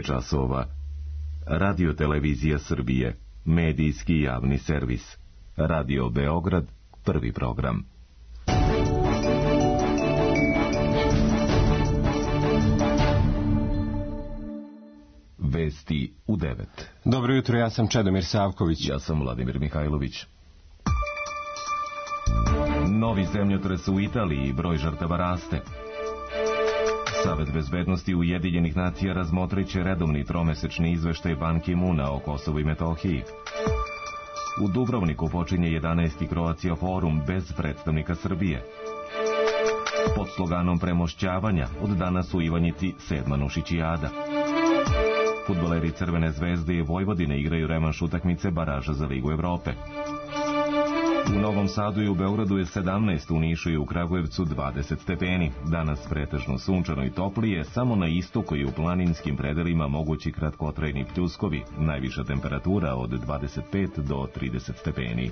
je časova. Radio Televizija Srbije, medijski javni servis. Radio Beograd, prvi program. Vesti u 9. Dobro jutro, ja sam Čedomir Savković. Ja sam Vladimir Mihajlović. Novi zemljotres u Italiji, broj žrtava raste. Savet bezbednosti Ujedinjenih nacija razmotrit će redovni tromesečni izveštaj Ban Ki-muna o Kosovu i Metohiji. U Dubrovniku počinje 11. Croatia forum bez predstavnika Srbije. Pod sloganom premošćavanja od danas u Ivanjici 7. Nušićijada. Fudbaleri Crvene zvezde i Vojvodine igraju revanš utakmice baraža za Ligu Evrope. U Novom Sadu i u Beogradu je 17, u Nišu i u Kragujevcu 20 stepeni. Danas pretežno sunčano i toplije, samo na istoku i u planinskim predelima mogući kratkotrajni pljuskovi, najviša temperatura od 25 do 30 stepeni.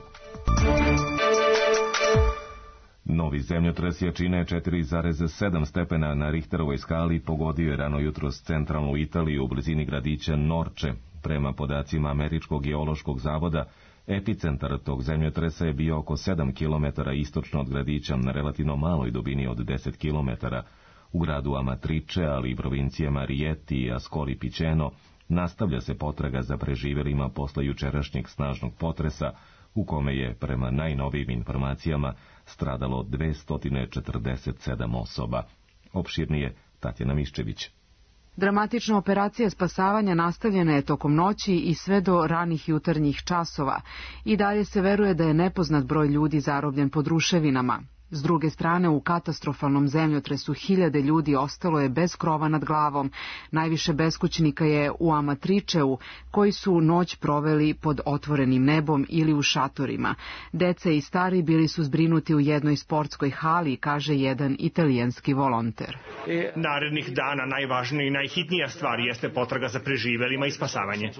Novi zemljotres jačine 4,7 stepena na Richterovoj skali pogodio je rano jutros centralnu Italiju u blizini gradića Norče. Prema podacima Američkog geološkog zavoda, epicentar tog zemljotresa je bio oko 7 km istočno od gradića na relativno maloj dubini od 10 km. U gradu Amatrice, ali i provincijama Rieti i Ascoli Piceno, nastavlja se potraga za preživelima posle jučerašnjeg snažnog potresa, u kome je, prema najnovijim informacijama, stradalo 247 osoba. Opširnije Tatjana Miščević. Dramatična operacija spasavanja nastavljena je tokom noći i sve do ranih jutarnjih časova. I dalje se veruje da je nepoznat broj ljudi zarobljen pod ruševinama. S druge strane, u katastrofalnom zemljotresu hiljade ljudi ostalo je bez krova nad glavom. Najviše beskućnika je u Amatriceu, koji su noć proveli pod otvorenim nebom ili u šatorima. Deca i stari bili su zbrinuti u jednoj sportskoj hali, kaže jedan italijanski volonter. Narednih dana najvažnija i najhitnija stvar jeste potraga za preživelima i spasavanje.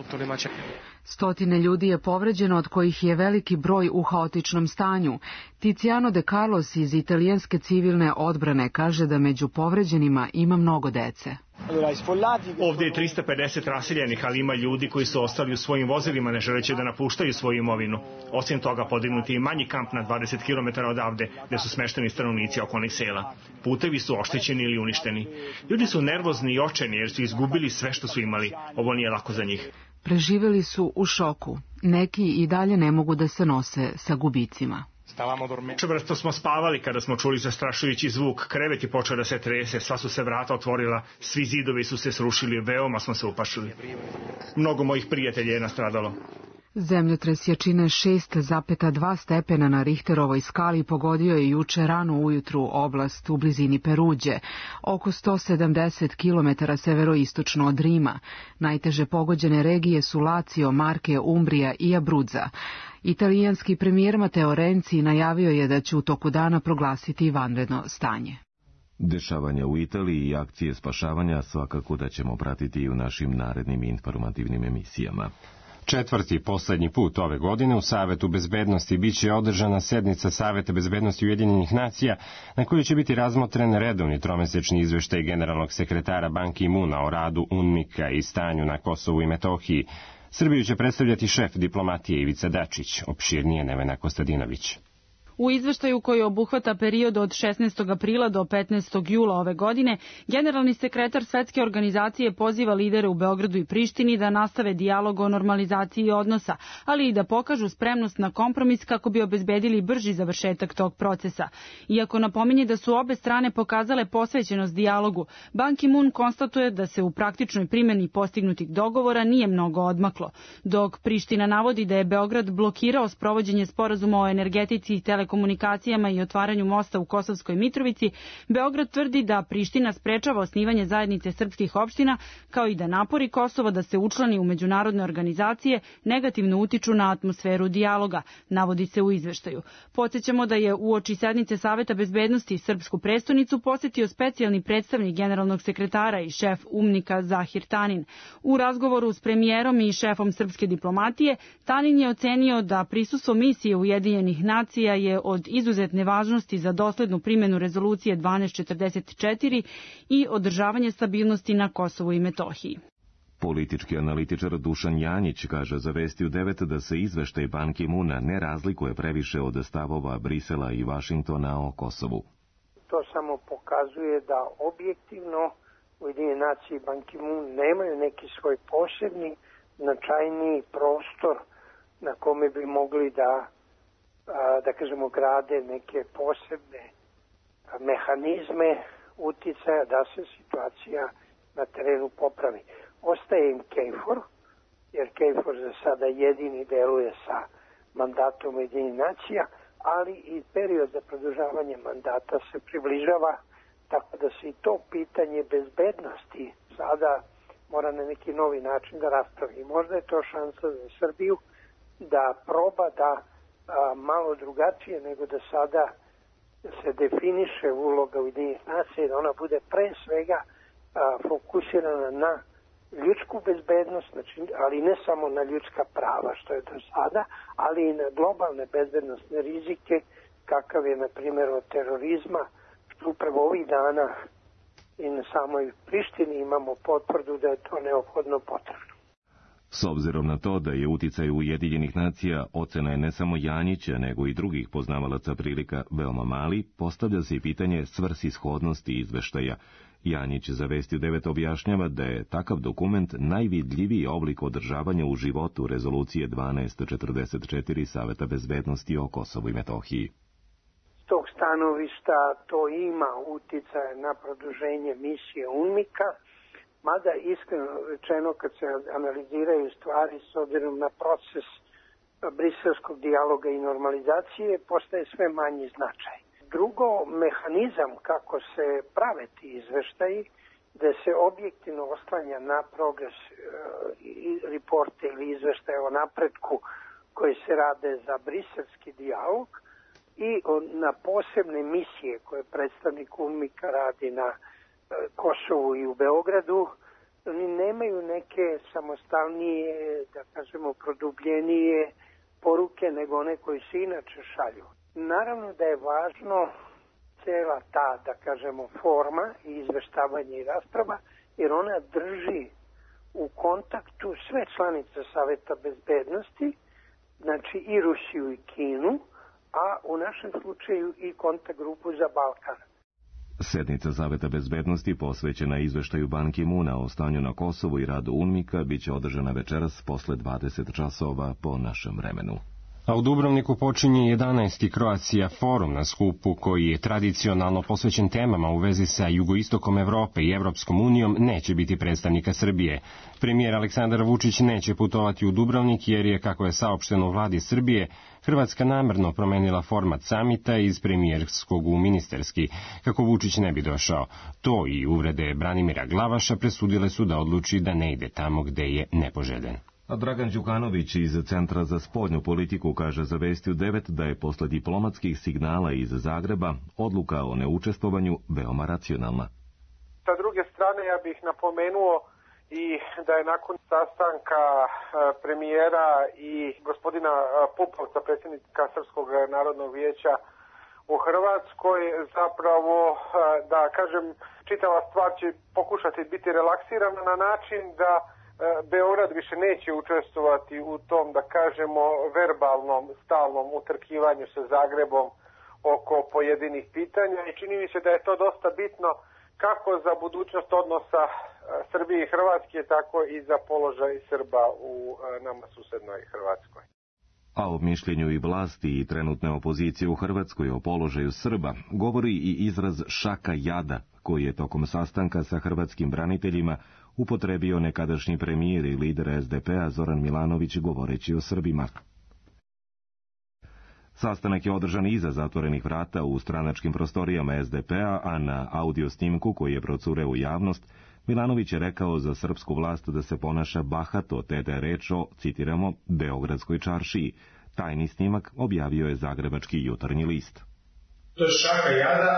Stotine ljudi je povređeno, od kojih je veliki broj u haotičnom stanju. Tiziano De Carlos iz italijanske civilne odbrane kaže da među povređenima ima mnogo dece. Ovdje je 350 raseljenih, ali ima ljudi koji su ostali u svojim vozilima ne želeći da napuštaju svoju imovinu. Osim toga, podignuti je manji kamp na 20 km odavde, gde su smešteni stanovnici okolnih sela. Putevi su oštećeni ili uništeni. Ljudi su nervozni i očajni jer su izgubili sve što su imali. Ovo nije lako za njih. Preživeli su u šoku. Neki i dalje ne mogu da se nose sa gubicima. Čvrsto smo spavali kada smo čuli zastrašujući zvuk. Krevet je počeo da se trese, sva su se vrata otvorila, svi zidovi su se srušili, veoma smo se uplašili. Mnogo mojih prijatelja je nastradalo. Zemljotres jačine 6,2 stepena na Richterovoj skali pogodio je juče rano ujutru oblast u blizini Peruđe, oko 170 km severoistočno od Rima. Najteže pogođene regije su Lazio, Marke, Umbrija i Abruzza. Italijanski premijer Matteo Renzi najavio je da će u toku dana proglasiti vanredno stanje. Dešavanja u Italiji i akcije spašavanja svakako da ćemo pratiti i u našim narednim informativnim emisijama. Četvrti poslednji put ove godine u Savetu bezbednosti biće održana sednica Saveta bezbednosti Ujedinjenih nacija na kojoj će biti razmotren redovni tromesečni izveštaj generalnog sekretara Ban Ki-muna o radu UNMIK-a i stanju na Kosovu i Metohiji. Srbiju će predstavljati šef diplomatije Ivica Dačić, opširnije Nevena Kostadinović. U izveštaju koji obuhvata period od 16. aprila do 15. jula ove godine, generalni sekretar Svetske organizacije poziva lidere u Beogradu i Prištini da nastave dijalog o normalizaciji odnosa, ali i da pokažu spremnost na kompromis kako bi obezbedili brži završetak tog procesa. Iako napominje da su obe strane pokazale posvećenost dijalogu, Ban Ki-mun konstatuje da se u praktičnoj primjeni postignutih dogovora nije mnogo odmaklo, dok Priština navodi da je Beograd blokirao sprovođenje sporazuma o energetici i telekomunikacijama i otvaranju mosta u Kosovskoj Mitrovici. Beograd tvrdi da Priština sprečava osnivanje zajednice srpskih opština, kao i da napori Kosova da se učlani u međunarodne organizacije negativno utiču na atmosferu dijaloga, navodi se u izveštaju. Podsjećamo da je uoči sednice Saveta bezbednosti srpsku prestonicu posetio specijalni predstavnik generalnog sekretara i šef UNMIK-a Zahir Tanin. U razgovoru s premijerom i šefom srpske diplomatije, Tanin je ocenio da prisustvo misije Ujedinjenih nacija je od izuzetne važnosti za doslednu primjenu rezolucije 1244 i održavanje stabilnosti na Kosovu i Metohiji. Politički analitičar Dušan Janjić kaže za Vesti u 9 da se izveštaj Ban Ki-muna ne razlikuje previše od stavova Brisela i Vašingtona o Kosovu. To samo pokazuje da objektivno Ujedinjene nacije i Ban Ki-mun nemaju neki svoj posebni, značajniji prostor na kome bi mogli da kažemo, grade neke posebne mehanizme uticaja da se situacija na terenu popravi. Ostaje im KFOR, jer KFOR za sada jedini deluje sa mandatom Ujedinjenih nacija, ali i period za produžavanje mandata se približava, tako da se i to pitanje bezbednosti sada mora na neki novi način da raspravi. Možda je to šansa za Srbiju da proba da malo drugačije nego da sada se definiše uloga Ujedinjenih nacija i da ona bude pre svega fokusirana na ljudsku bezbednost, znači, ali ne samo na ljudska prava, što je do sada, ali i na globalne bezbednostne rizike, kakav je, na primjer, od terorizma, što upravo ovih dana i na samoj Prištini imamo potvrdu da je to neophodno potrebno. S obzirom na to da je uticaj Ujedinjenih nacija, ocena je ne samo Janjića, nego i drugih poznavalaca prilika veoma mali, postavlja se i pitanje svrsishodnosti izveštaja. Janjić za Vesti u 9 objašnjava da je takav dokument najvidljiviji oblik održavanja u životu rezolucije 1244 Saveta bezbednosti o Kosovu i Metohiji. S tog stanovišta to ima uticaje na produženje misije UNMIK-a, mada iskreno rečeno kad se analiziraju stvari s obzirom na proces briselskog dijaloga i normalizacije, postaje sve manji značaj. Drugo, mehanizam kako se prave ti izveštaji, da se objektivno oslanja na progres reporte ili izveštaje o napretku koji se rade za briselski dijalog i na posebne misije koje predstavnik UNMIK-a radi na Kosovu i u Beogradu, oni nemaju neke samostalnije, da kažemo, produbljenije poruke nego one koji se inače šalju. Naravno da je važno cela ta, da kažemo, forma i izveštavanje i rasprava, jer ona drži u kontaktu sve članice Saveta bezbednosti, znači i Rusiju i Kinu, a u našem slučaju i kontakt grupu za Balkan. Sednica Saveta bezbednosti posvećena izveštaju Ban Ki-muna o stanju na Kosovu i radu UNMIK-a biće održana večeras posle 20 časova po našem vremenu. A u Dubrovniku počinje 11. Croatia forum na skupu koji je tradicionalno posvećen temama u vezi sa jugoistokom Evrope i Evropskom unijom, neće biti predstavnika Srbije. Premijer Aleksandar Vučić neće putovati u Dubrovnik jer je, kako je saopšteno u vladi Srbije, Hrvatska namerno promenila format samita iz premijerskog u ministarski, kako Vučić ne bi došao. To i uvrede Branimira Glavaša presudile su da odluči da ne ide tamo gde je nepoželjen. A Dragan Đukanović iz Centra za spoljnu politiku kaže za Vesti u 9 da je posle diplomatskih signala iz Zagreba odluka o neučestvovanju veoma racionalna. Sa druge strane ja bih napomenuo i da je nakon sastanka premijera i gospodina Pupovca, predsjednika Srpskog narodnog vijeća u Hrvatskoj, zapravo, da kažem, čitava stvar će pokušati biti relaksirana na način da Beograd više neće učestvovati u tom, da kažemo, verbalnom, stalnom utrkivanju sa Zagrebom oko pojedinih pitanja i čini mi se da je to dosta bitno kako za budućnost odnosa Srbije i Hrvatske, tako i za položaj Srba u nama susednoj Hrvatskoj. A o mišljenju i vlasti i trenutne opozicije u Hrvatskoj o položaju Srba govori i izraz šaka jada, koji je tokom sastanka sa hrvatskim braniteljima upotrebio nekadašnji premijer i lider SDP-a Zoran Milanović govoreći o Srbima. Sastanak je održan iza zatvorenih vrata u stranačkim prostorijama SDP-a, a na audio snimku koji je procureo u javnost, Milanović je rekao za srpsku vlast da se ponaša bahato, te da je reč o, citiramo, Beogradskoj čaršiji. Tajni snimak objavio je Zagrebački jutarnji list. To je šaka jada,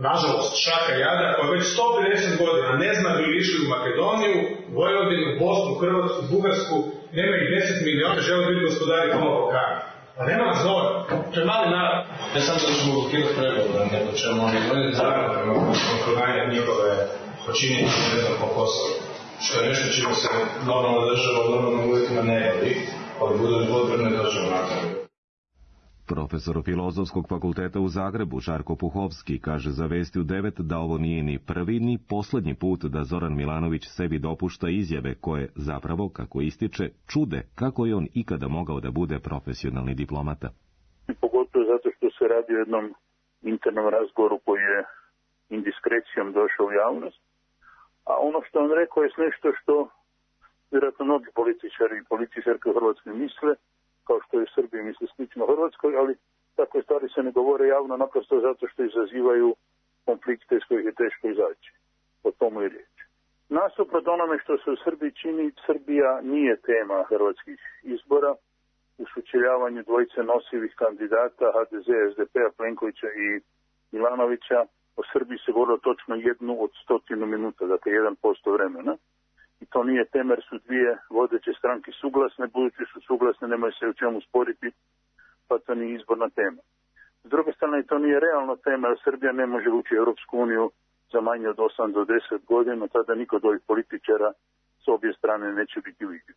nažalost šaka jada, koja već 150 godina ne zna bi li išli u Makedoniju, Vojvodinu, Bosnu, Hrvatsku, Bugarsku, nema ih 10 miliona, žele biti gospodari tamo Balkana. A nema nas dovoljno, to je mali narod. Ne samo da ćemo blokirati pregovore, nego ćemo oni donijeti zakon prema kontrolanja njihove počinjenja, ne znam, po Kosovu. što je nešto čime se normalna država u normalnim uvjetima ne bavi, ali bude potrebne država naknade. Profesor Filozofskog fakulteta u Zagrebu, Žarko Puhovski, kaže za Vesti u 9 da ovo nije ni prvi ni posljednji put da Zoran Milanović sebi dopušta izjave koje zapravo, kako ističe, čude kako je on ikada mogao da bude profesionalni diplomata. Pogotovo zato što se radi o jednom internom razgovoru koji je indiskrecijom došao u javnost, a ono što on rekao je nešto što vjerojatno mnogi političari i političarke u Hrvatskoj misle, kao što je u Srbiji misli slično Hrvatskoj, ali takve stvari se ne govore javno naprosto zato što izazivaju konflikte iz kojih je teško izaći. O tomu je riječ. Nasuprot onome što se u Srbiji čini, Srbija nije tema hrvatskih izbora. U sučeljavanju dvojice nosivih kandidata HDZ, SDP-a, Plenkovića i Milanovića o Srbiji se govorilo točno 1 od 100 minuta, dakle 1% vremena. I to nije tema jer su dvije vodeće stranke suglasne, budući su suglasne, nemaju se u čemu sporiti, pa to nije izborna tema. S druge strane, to nije realna tema jer Srbija ne može ući u Europsku uniju za manje od 8 do 10 godina, tada niko od ovih političara s obje strane neće biti vidljiv.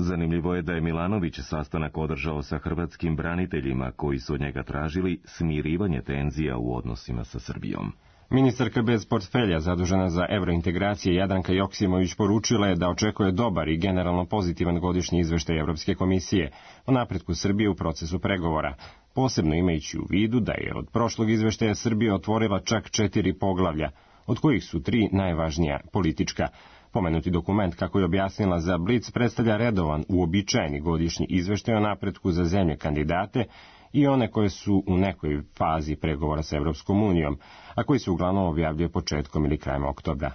Zanimljivo je da je Milanović sastanak održao sa hrvatskim braniteljima koji su od njega tražili smirivanje tenzija u odnosima sa Srbijom. Ministarka bez portfelja zadužena za evrointegracije Jadranka Joksimović poručila je da očekuje dobar i generalno pozitivan godišnji izveštaj Evropske komisije o napretku Srbije u procesu pregovora, posebno imajući u vidu da je od prošlog izveštaja Srbija otvorila čak 4 poglavlja, od kojih su 3 najvažnija politička. Pomenuti dokument, kako je objasnila za Blic, predstavlja redovan, uobičajeni godišnji izveštaj o napretku za zemlje kandidate i one koje su u nekoj fazi pregovora sa Evropskom unijom, a koji se uglavnom objavljuje početkom ili krajem oktobra.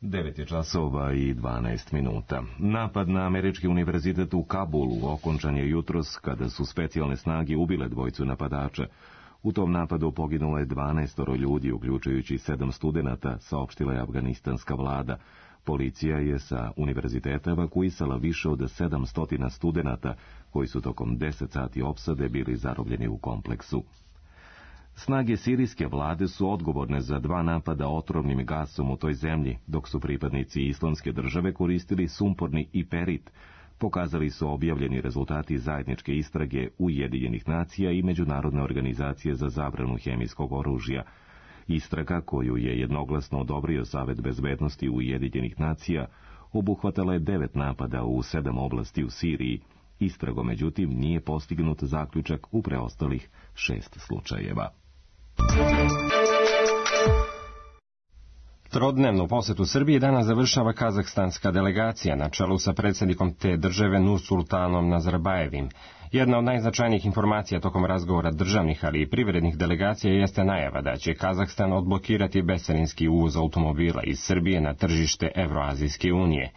9:12. Napad na američki univerzitet u Kabulu okončan je jutros kada su specijalne snage ubile dvojicu napadača. U tom napadu poginulo je 12 ljudi, uključujući 7 studenata, saopštila je afganistanska vlada. Policija je sa univerziteta evakuisala više od 700 studenata koji su tokom 10 sati opsade bili zarobljeni u kompleksu. Snage sirijske vlade su odgovorne za 2 napada otrovnim gasom u toj zemlji, dok su pripadnici Islamske države koristili sumporni iperit, pokazali su objavljeni rezultati zajedničke istrage Ujedinjenih nacija i Međunarodne organizacije za zabranu hemijskog oružja. Istraga, koju je jednoglasno odobrio Savet bezbednosti Ujedinjenih nacija, obuhvatala je 9 napada u 7 oblasti u Siriji. Istragom, međutim, nije postignut zaključak u preostalih 6 slučajeva. Trodnevnu posetu Srbiji danas završava kazahstanska delegacija na čelu sa predsjednikom te države Nursultanom Nazarbajevim. Jedna od najznačajnijih informacija tokom razgovora državnih, ali i privrednih delegacija jeste najava da će Kazahstan odblokirati bescarinski uvoz automobila iz Srbije na tržište Evroazijske unije.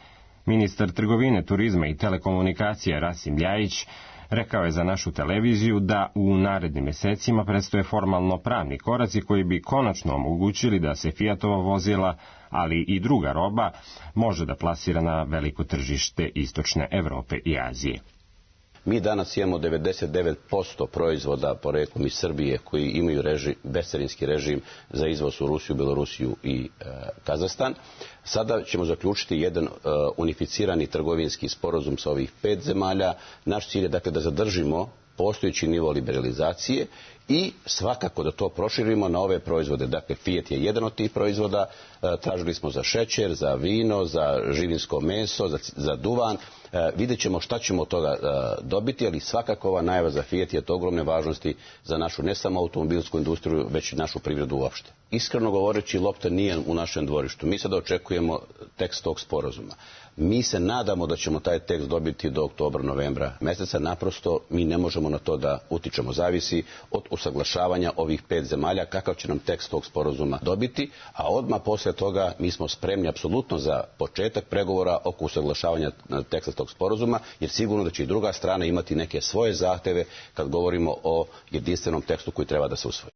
Ministar trgovine, turizma i telekomunikacija Rasim Ljajić rekao je za našu televiziju da u narednim mjesecima predstoje formalno pravni koraci koji bi konačno omogućili da se Fiatova vozila, ali i druga roba, može da plasira na veliko tržište istočne Evrope i Azije. Mi danas imamo 99% proizvoda poreklom iz Srbije koji imaju bescarinski režim za izvoz u Rusiju, Belorusiju i Kazahstan. Sada ćemo zaključiti jedan unificirani trgovinski sporazum sa ovih 5 zemalja. Naš cilj je dakle da zadržimo postojeći nivo liberalizacije i svakako da to proširimo na ove proizvode. Dakle, Fiat je jedan od tih proizvoda. Tražili smo za šećer, za vino, za živinsko meso, za duvan. Vidjet ćemo šta ćemo od toga dobiti, ali svakako ova najava za Fiat je od ogromne važnosti za našu ne samo automobilsku industriju, već i našu privredu uopšte. Iskreno govoreći, lopta nije u našem dvorištu. Mi sada očekujemo tekst tog sporazuma. Mi se nadamo da ćemo taj tekst dobiti do oktobra, novembra meseca. Naprosto mi ne možemo na to da utičemo. Zavisi od usaglašavanja ovih 5 zemalja kakav će nam tekst tog sporazuma dobiti, a odmah poslije toga mi smo spremni apsolutno za početak pregovora oko usaglašavanja teksta tog sporazuma, jer sigurno da će i druga strana imati neke svoje zahteve kad govorimo o jedinstvenom tekstu koji treba da se usvoji.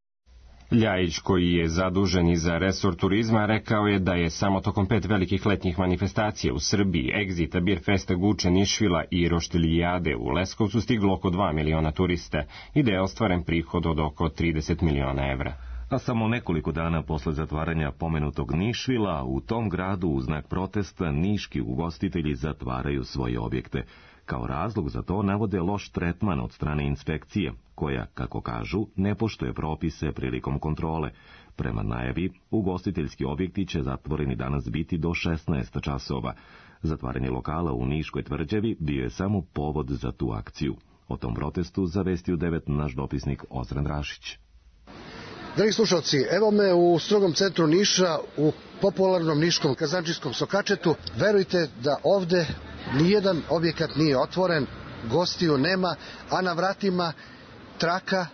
Ljajić, koji je zadužen i za resor turizma, rekao je da je samo tokom 5 velikih letnjih manifestacija u Srbiji, Egzita, Birfesta, Guče, Nišvila i Roštiljijade u Leskovcu stiglo oko 2 miliona turista i da je ostvaren prihod od oko 30 miliona evra. A samo nekoliko dana posle zatvaranja pomenutog Nišvila, u tom gradu u znak protesta niški ugostitelji zatvaraju svoje objekte. Kao razlog za to navode loš tretman od strane inspekcije, koja, kako kažu, ne poštuje propise prilikom kontrole. Prema najavi, ugostiteljski objekti će zatvoreni danas biti do 16 časova. Zatvaranje lokala u Niškoj tvrđavi bio je samo povod za tu akciju. O tom protestu zavestio 9 naš dopisnik Ozren Rašić. Dragi slušalci, evo me u strogom centru Niša, u popularnom niškom kazančijskom sokačetu. Verujte da ovde nijedan objekat nije otvoren, gostiju nema, a na vratima traka,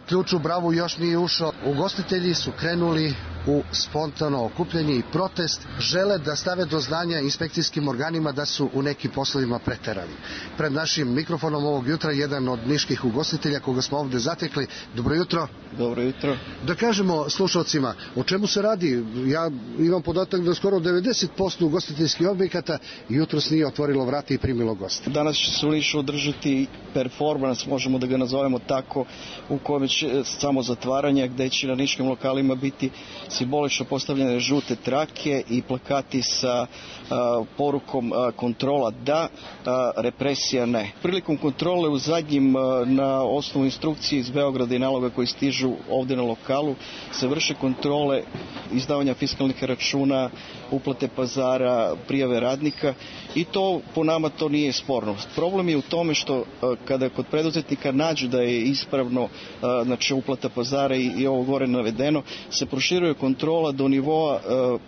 ključ u bravu još nije ušao. Ugostitelji su krenuli u spontano okupljanje i protest. Žele da stave do znanja inspekcijskim organima da su u nekim poslovima preterali. Pred našim mikrofonom ovog jutra jedan od niških ugostitelja koga smo ovde zatekli. Dobro jutro. Dobro jutro. Da kažemo slušalcima, o čemu se radi? Ja imam podatak da skoro 90% ugostiteljskih objekata jutros nije otvorilo vrata i primilo goste. Danas će se u Nišu održati performans, možemo da ga nazovemo tako, u kojem će samo zatvaranje, gde će na niškim lokalima biti simbolično postavljene žute trake i plakati sa porukom kontrola da, represija ne. Prilikom kontrole u zadnjim, na osnovu instrukcije iz Beograda i naloga koji stižu ovde na lokalu, se vrše kontrole izdavanja fiskalnih računa, uplate pazara, prijave radnika i to po nama to nije sporno. Problem je u tome što kada kod preduzetnika nađu da je ispravno znači uplata pazara i ovo gore navedeno, se proširuje kontrola do nivoa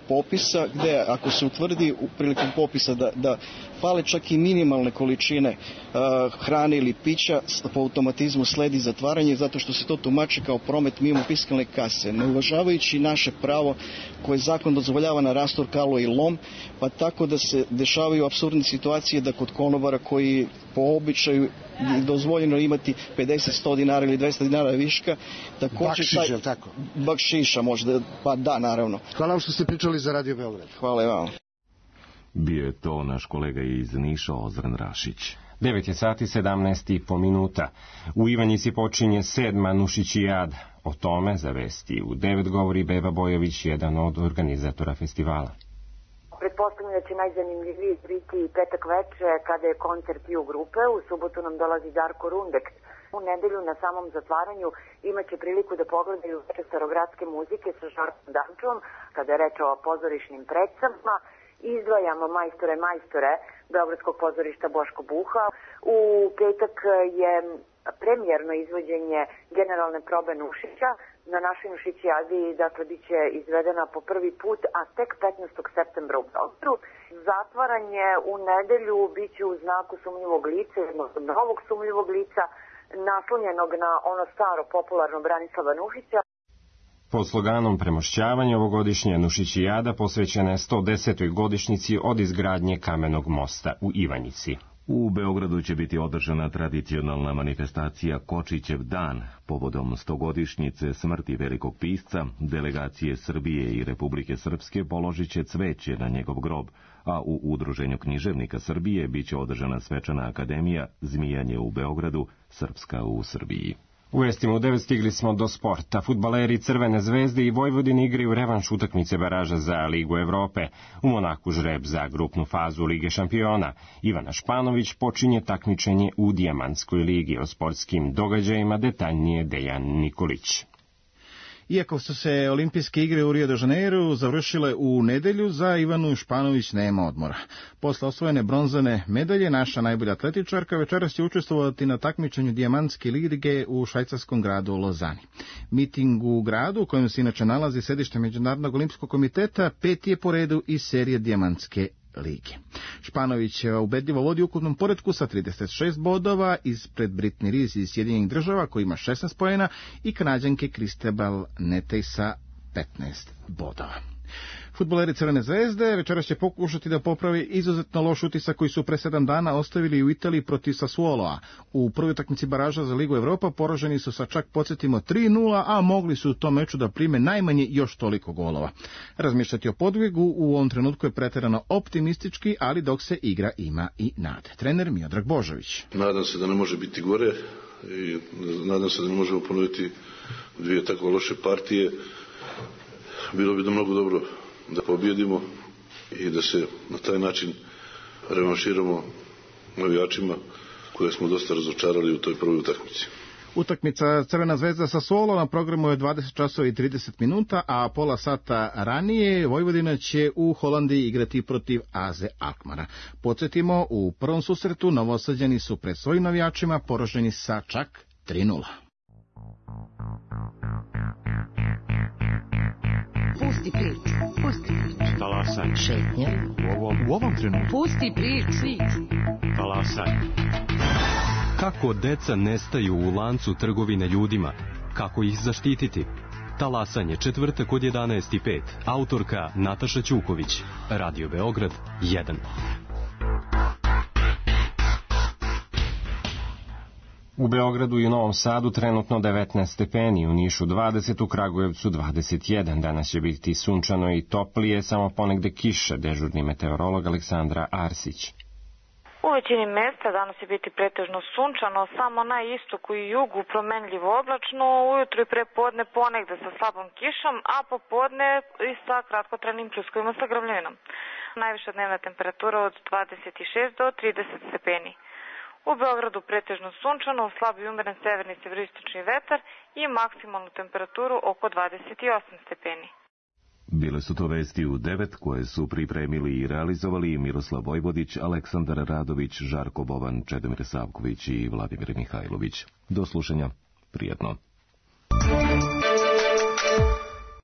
popisa, gde ako se utvrdi prilikom popisa da fale čak i minimalne količine hrane ili pića, po automatizmu sledi zatvaranje zato što se to tumači kao promet mimo fiskalne kase, ne uvažavajući naše pravo koje zakon dozvoljava na rastor, kalo i lom, pa tako da se dešavaju apsurdne situacije da kod konobara koji po običaju je dozvoljeno imati 50, 100 dinara ili 200 dinara viška. Bakšiš, je li tako? Bakšiša možda, pa da, naravno. Hvala vam što ste pričali za Radio Beograd. Hvala i vam. Bio je to naš kolega iz Niša, Ozren Rašić. 9 je sati 17,5 minuta. U Ivanjici počinje 7. Nušićijada. O tome za vesti u 9 govori Beba Bojović, jedan od organizatora festivala. Pretpostavljam da će najzanimljiviji biti petak veče kada je koncert Ju grupe. U subotu nam dolazi Darko Rundek. U nedelju na samom zatvaranju imaće priliku da pogledaju veče starogradske muzike sa Žarkom Dančom, kada je reč o pozorišnim predstavama. Izdvajamo majstore Beogradskog pozorišta Boško Buha. U petak je premijerno izvođenje generalne probe Nušića. Na našoj Nušićijadi, dakle, bit će izvedena po prvi put, a tek 15. septembra u Beogradu. Zatvaranje u nedelju bit će u znaku sumnjivog lica, jednog novog sumnjivog lica, naslonjenog na ono staro popularno Branislava Nušića. Pod sloganom premošćavanja ovogodišnja Nušićijada posvećena je 110. godišnjici od izgradnje kamenog mosta u Ivanjici. U Beogradu će biti održana tradicionalna manifestacija Kočićev dan. Povodom 100-godišnjice smrti velikog pisca, delegacije Srbije i Republike Srpske položit će cveće na njegov grob, a u Udruženju književnika Srbije biće održana svečana akademija Zmijanje u Beogradu, Srpska u Srbiji. U vestima u 9 stigli smo do sporta. Fudbaleri Crvene zvezde i Vojvodine igraju revanš utakmice baraža za Ligu Evrope. U Monaku žreb za grupnu fazu Lige šampiona. Ivana Španović počinje takmičenje u Dijamantskoj ligi. O sportskim događajima detaljnije Dejan Nikolić. Iako su se olimpijske igre u Rio de Janeiru završile u nedelju, za Ivanu Španović nema odmora. Posle osvojene bronzane medalje, naša najbolja atletičarka večeras će učestvovati na takmičenju Dijamantske lige u švajcarskom gradu Lozani. Miting u gradu, u kojem se inače nalazi sedište Međunarodnog olimpijskog komiteta, 5. je po redu iz serije Dijamantske lige. Španović ubedljivo vodi u ukupnom poretku sa 36 bodova ispred Britney Rees iz Sjedinjenih Država koji ima 16 poena i Kanadjanke Kristabel Netej sa 15 bodova. Fudbaleri Crvene zvezde večeras će pokušati da popravi izuzetno loš utisak koji su pre 7 dana ostavili u Italiji protiv Sassuoloa. U prvoj utakmici baraža za Ligu Evropa poraženi su sa, čak podsjetimo, 3:0, a mogli su u tom meču da prime najmanje još toliko golova. Razmišljati o podvigu u ovom trenutku je preterano optimistički, ali dok se igra ima i nade. Trener Miodrag Božović. Nadam se da ne može biti gore. i nadam se da ne možemo ponoviti dvije tako loše partije. Bilo bi da mnogo dobro da pobjedimo i da se na taj način revanširamo navijačima koje smo dosta razočarali u toj prvoj utakmici. Utakmica Crvena zvezda sa Solo na programu je 20 časova i 30 minuta, a pola sata ranije Vojvodina će u Holandiji igrati protiv AZ Alkmara. Podsjetimo, u prvom susretu Novosađani su pred svojim navijačima poraženi sa čak 3:0. Pusti priču. Talasaj. Šetnja. U ovom trenutku. Pusti priču. Talasaj. Kako deca nestaju u lancu trgovine ljudima? Kako ih zaštititi? Talasanje, četvrtak od 11:05. Autorka Nataša Ćuković. Radio Beograd 1. U Beogradu i u Novom Sadu trenutno 19 stepeni, u Nišu 20, u Kragujevcu 21. Danas će biti sunčano i toplije, samo ponegde kiša, dežurni meteorolog Aleksandra Arsić. U većini mesta danas će biti pretežno sunčano, samo na istoku i jugu promenljivo oblačno, ujutru i prepodne ponegde sa slabom kišom, a popodne i sa kratkotrajnim pljuskovima sa grmljavinom. Najviša dnevna temperatura od 26 do 30 stepeni. U Beogradu pretežno sunčano, slab i umeren severni severoistočni vetar i maksimalnu temperaturu oko 28 stepeni. Bile su to vesti u 9 koje su pripremili i realizovali Miroslav Vojvodić, Aleksandar Radović, Žarko Boban, Čedomir Savković i Vladimir Mihajlović. Do slušanja. Prijetno.